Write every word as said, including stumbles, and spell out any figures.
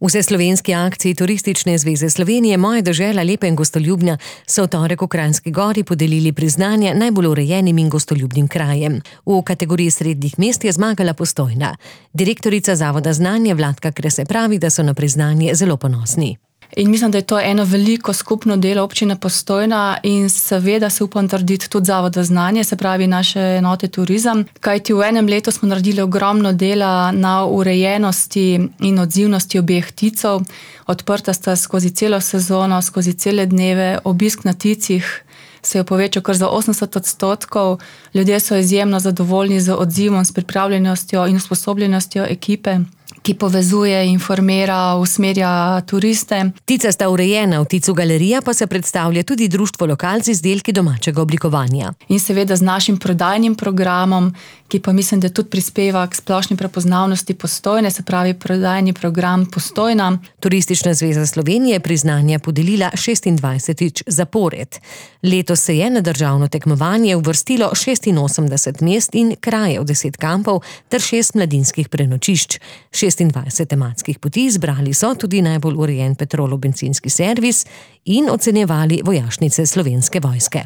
Vse slovenski akciji Turistične zveze Slovenije Moja dežela lepa in gostoljubna so v torek v Kranjski Gori podelili priznanje najbolj urejenim in gostoljubnim krajem. V kategoriji srednjih mest je zmagala Postojna. Direktorica Zavoda Znanje Vladka Krese pravi, da so na priznanje zelo ponosni. In mislim, da je to eno veliko skupno delo občine Postojna in seveda se upam trditi tudi Zavoda Znanje, se pravi naše enote turizem, kajti v enem letu smo naredili ogromno dela na urejenosti in odzivnosti obeh ticov. Odprta sta skozi celo sezono, skozi cele dneve, obisk na ticih se je povečal kar za osemdeset odstotkov. Ljudje so izjemno zadovoljni z odzivom, s pripravljenostjo in usposobljenostjo ekipe, ki povezuje, informira, usmerja turiste. Tica sta urejena, v Ticu galerija pa se predstavlja tudi društvo Lokalci z izdelki domačega oblikovanja. In seveda z našim prodajnim programom, ki pa mislim, da tudi prispeva k splošni prepoznavnosti Postojne, se pravi prodajni program Postojna. Turistična zveza Slovenije je priznanje podelila šestindvajsetič zapored. Letos se je na državno tekmovanje uvrstilo šestinosemdeset mest in krajev, deset kampov ter šest mladinskih prenočišč. šestindvajset tematskih poti izbrali so tudi najbolj urejen Petrolov bencinski servis in ocenjevali vojašnice Slovenske vojske.